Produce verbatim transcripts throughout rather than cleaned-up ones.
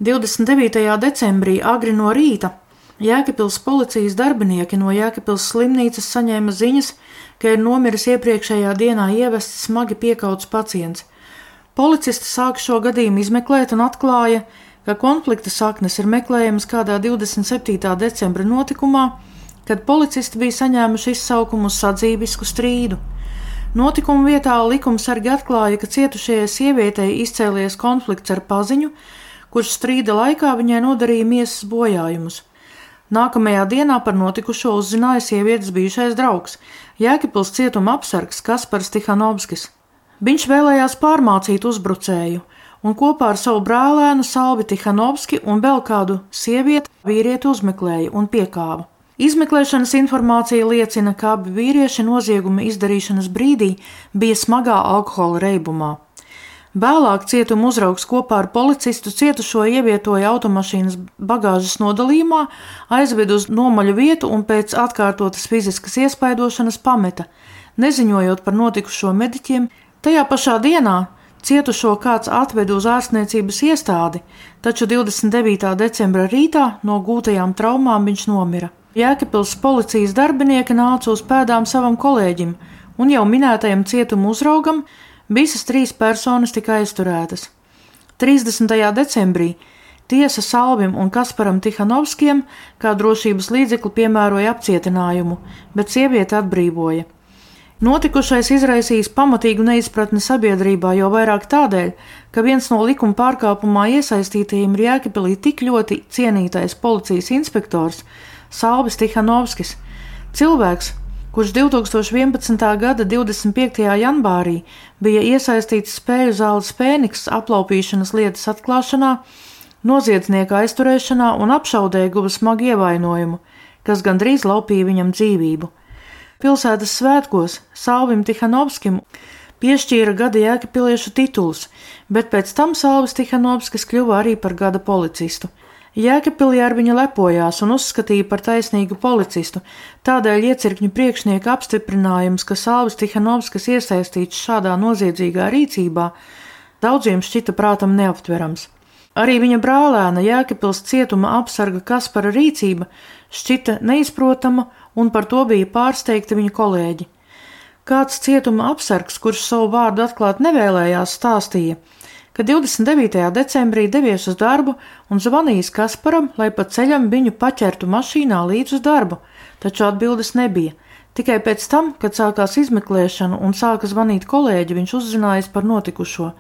divdesmit devītajā decembrī agri no rīta Jēkabpils policijas darbinieki no Jēkabpils slimnīcas saņēma ziņas, ka ir nomiris iepriekšējā dienā ievests smagi piekauts pacients. Policisti sāka šo gadījumu izmeklēt un atklāja, ka konflikta saknes ir meklējamas kādā divdesmit septītā decembra notikumā, kad policisti bija saņēmuši izsaukumu uz sadzīvisku strīdu. Notikuma vietā likumsargi atklāja, ka cietušajai sievietei izcēlies konflikts ar paziņu, kurš strīda laikā viņai nodarīja miesas bojājumus. Nākamajā dienā par notikušo uzzināja sievietes bijušais draugs, Jēkabpils cietuma apsargs Kaspars Tihanovskis. Viņš vēlējās pārmācīt uzbrucēju un kopā ar savu brālēnu Salvi Tihanovski un vēl kādu sievieti vīrieti uzmeklēja un piekāva. Izmeklēšanas informācija liecina, ka abi vīrieši nozieguma izdarīšanas brīdī bija smagā alkohola reibumā. Vēlāk cietuma uzraugs kopā ar policistu cietušo ievietoja automašīnas bagāžas nodalījumā, aizveda uz nomaļu vietu un pēc atkārtotas fiziskas iespaidošanas pameta, neziņojot par notikušo mediķiem. Tajā pašā dienā cietušo kāds atveda uz ārstniecības iestādi, taču divdesmit devītā decembra rītā no gūtajām traumām viņš nomira. Jēkabpils policijas darbinieki nāca uz pēdām savam kolēģim un jau minētajam cietuma uzraugam. Visas trīs personas tika aizturētas. trīsdesmitajā decembrī tiesa Salvim un Kasparam Tihanovskiem kā drošības līdzekli piemēroja apcietinājumu, bet sievieti atbrīvoja. Notikušais izraisījis pamatīgu neizpratni sabiedrībā, jo vairāk tādēļ, ka viens no likuma pārkāpumā iesaistītajiem ir Jēkabpilī tik ļoti cienītais policijas inspektors Salvis Tihanovskis, cilvēks, kurš divtūkstoš vienpadsmitā gada divdesmit piektajā janvārī bija iesaistīts spēļu zāles Fēniks aplaupīšanas lietas atklāšanā, noziedznieka aizturēšanā un apšaudē guva smagu ievainojumu, kas gandrīz laupīja viņam dzīvību. Pilsētas svētkos Salvim Tihanovskim piešķīra gada jēkabpiliešu titulus, bet pēc tam Salvis Tihanovskis kļuva arī par gada policistu. Jēkabpilī ar viņu lepojās un uzskatīja par taisnīgu policistu, tādēļ iecirkņu priekšnieka apstiprinājums, ka Salvis Tihanovskis iesaistīts šādā noziedzīgā rīcībā, daudziem šķita prātam neaptverams. Arī viņa brālēna Jēkabpils cietuma apsarga Kaspara rīcība šķita neizprotama un par to bija pārsteigti viņa kolēģi. Kāds cietuma apsargs, kurš savu vārdu atklāt nevēlējās, stāstīja, ka divdesmit devītajā decembrī devies uz darbu un zvanījis Kasparam, lai pa ceļam viņu paķertu mašīnā līdz uz darbu, taču atbildes nebija. Tikai pēc tam, kad sākās izmeklēšana un sāka zvanīt kolēģi, viņš uzzinājis par notikušo.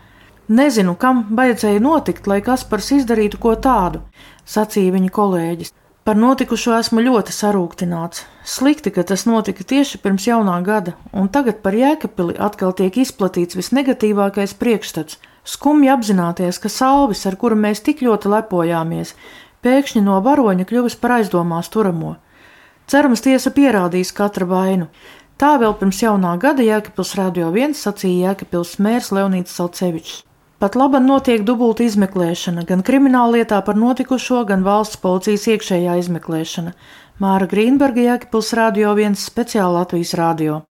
Nezinu, kam vajadzēja notikt, lai Kaspars izdarītu ko tādu, sacīja viņa kolēģis. Par notikušo esmu ļoti sarūktināts. Slikti, ka tas notika tieši pirms jaunā gada, un tagad par Jēkabpili atkal tiek izplatīts visnegatīvākais priekšstats. Skumji apzināties, ka Salvis, ar kuru mēs tik ļoti lepojāmies, pēkšņi no varoņa kļuvis par aizdomās turamo. Cerams, tiesa pierādīs katra vainu. Tā vēl pirms jaunā gada Jēkabpils Radio viens sacīja Jēkabpils mērs Leonīds Salcevičs. Pat laban notiek dubulta izmeklēšana, gan krimināllietā par notikušo, gan valsts policijas iekšējā izmeklēšana. Māra Grīnberga, Jēkabpils Radio viens, speciāli Latvijas radio.